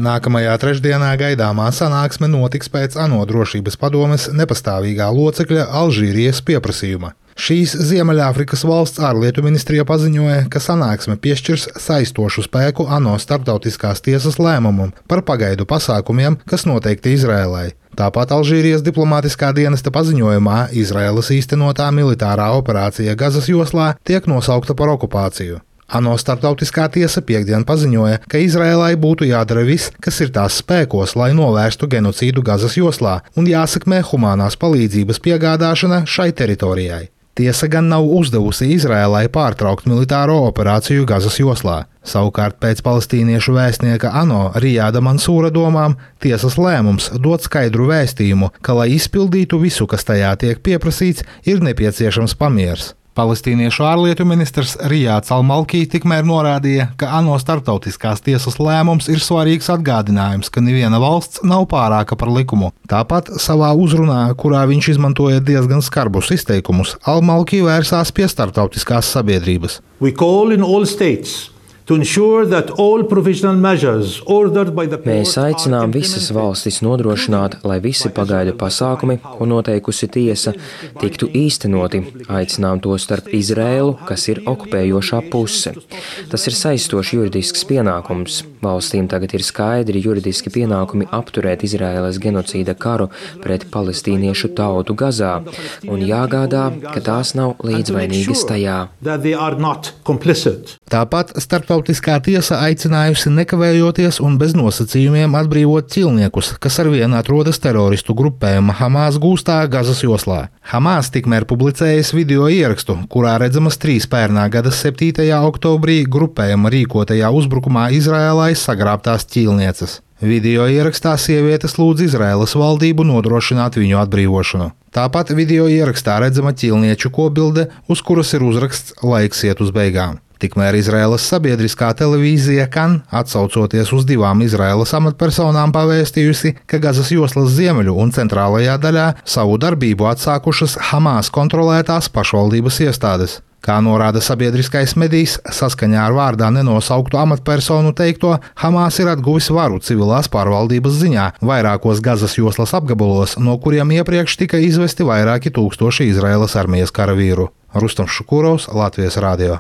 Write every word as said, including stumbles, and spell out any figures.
Nākamajā trešdienā gaidāmā sanāksme notiks pēc ANO drošības padomes nepastāvīgā locekļa Alžīrijas pieprasījuma. Šīs Ziemeļāfrikas valsts ārlietu ministrija paziņoja, ka sanāksme piešķirs saistošu spēku ANO starptautiskās tiesas lēmumam par pagaidu pasākumiem, kas noteikti Izrēlai. Tāpat Alžīrijas diplomātiskā dienesta paziņojumā Izraēlas īstenotā militārā operācija Gazas joslā tiek nosaukta par okupāciju. ANO starptautiskā tiesa piektdien paziņoja, ka Izraēlai būtu jādara viss, kas ir tās spēkos, lai novērstu genocīdu Gazas joslā, un jāsekmē humānās palīdzības piegādāšana šai teritorijai. Tiesa gan nav uzdevusi Izraēlai pārtraukt militāro operāciju Gazas joslā. Savukārt pēc palestīniešu vēstnieka ANO Rijāda Mansūra domām tiesas lēmums dod skaidru vēstījumu, ka, lai izpildītu visu, kas tajā tiek pieprasīts, ir nepieciešams pamiers. Palestīniešu ārlietu ministrs Rijāds Al-Malkī tikmēr norādīja, ka ANO starptautiskās tiesas lēmums ir svarīgs atgādinājums, ka neviena valsts nav pārāka par likumu. Tāpat savā uzrunā, kurā viņš izmantoja diezgan skarbus izteikumus, Al-Malkī vērsās pie starptautiskās sabiedrības. Mēs aicinām visas valstis nodrošināt, lai visi pagaidu pasākumi, ko noteikusi tiesa, tiktu īstenoti. Aicinām to starp Izraēlu, kas ir okupējošā puse. Tas ir saistošs juridisks pienākums. Valstīm tagad ir skaidri juridiski pienākumi apturēt Izraēlas genocīda karu pret palestīniešu tautu Gazā un jāgādā, ka tās nav līdzvainīgas tajā. Tāpat starptautiskā tiesa aicinājusi nekavējoties un bez nosacījumiem atbrīvot ķilniekus, kas arvien atrodas teroristu grupējuma Hamas gūstā Gazas joslā. Hamas tikmēr publicējas video ierakstu, kurā redzamas trīs pērnā gada septītajā oktobrī grupējuma rīkotajā uzbrukumā Izraēlai sagrābtās ķilnieces. Video ierakstā sievietes lūdz Izraēlas valdību nodrošināt viņu atbrīvošanu. Tāpat video ierakstā redzama ķilnieču kobilde, uz kuras ir uzraksts "Laiks iet uz beigām". Tikmēr Izraēlas sabiedriskā televīzija Kan, atsaucoties uz divām Izraēlas amatpersonām, pavēstījusi, ka Gazas joslas ziemeļu un centrālajā daļā savu darbību atsākušas Hamas kontrolētās pašvaldības iestādes. Kā norāda sabiedriskais medijs, saskaņā ar vārdā nenosauktu amatpersonu teikto, Hamas ir atguvis varu civilās pārvaldības ziņā vairākos Gazas joslas apgabalos, no kuriem iepriekš tika izvesti vairāki tūkstoši Izraēlas armijas karavīru. Rustams Šukurovs, Latvijas radio.